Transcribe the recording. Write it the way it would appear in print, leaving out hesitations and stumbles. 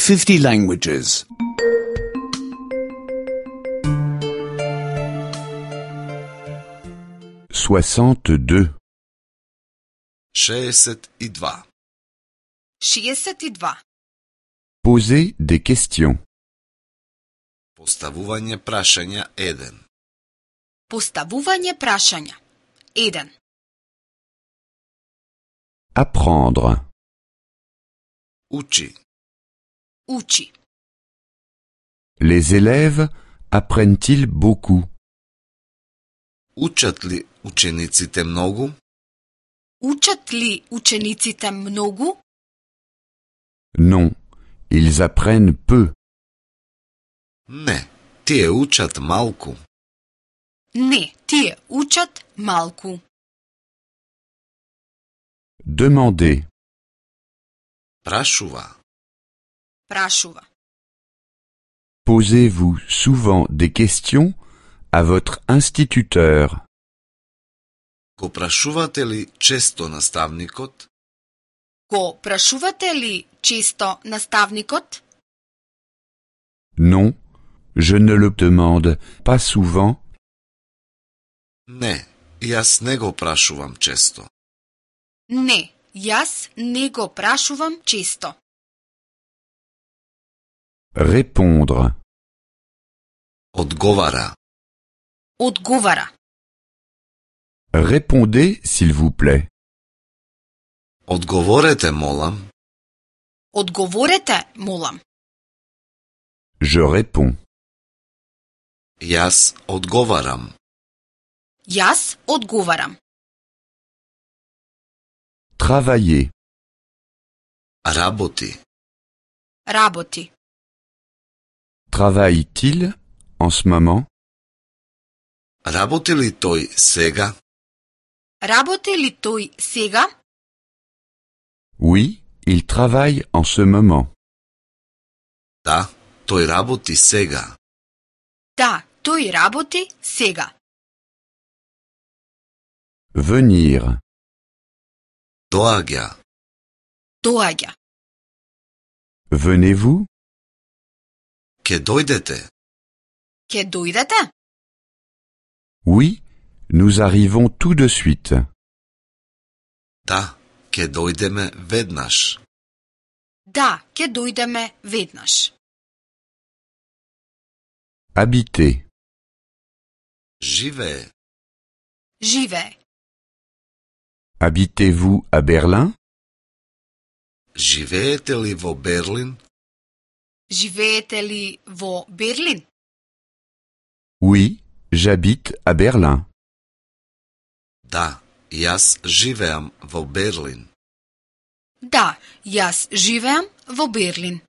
50 languages. 62. 62. 62. Poser des questions. Поставување прашања 1. Поставување прашања 1. Apprendre. Учи. Учи. Les élèves apprennent-ils beaucoup? Учат ли учениците многу? Учат ли учениците многу? Non, ils apprennent peu. Не, тие учат малку. Не, тие учат малку. Demander. Прашува. Прашува. Posez-vous souvent des questions à votre instituteur? Го прашувате ли често наставникот? Го прашувате ли често наставникот? Non, je ne le demande pas souvent. Не, јас не го прашувам често. Не, јас не го прашувам често. Répondre. Одговара. Одговара. Répondez, s'il vous plaît. Одговорете, молам. Одговорете, молам. Je réponds. Јас одговарам. Јас одговарам. Travailler. Работи. Работи. Travaille-t-il en ce moment? Работи ли тој сега? Работи ли тој сега? Oui, il travaille en ce moment. Да, тој работи сега. Да, тој работи сега. Venir. Доаѓа. Доаѓа. Venez-vous? Ке дојдете. Ке дојдете? Oui, nous arrivons tout de suite. Да, ке дојдеме веднаш. Да, ке дојдеме веднаш. Habiter. Живее. Живее. Habitez-vous à Berlin? Живеете ли во Берлин? Живеете ли во Берлин? Oui, j'habite à Berlin. Да, јас живеам во Берлин. Да, јас живеам во Берлин.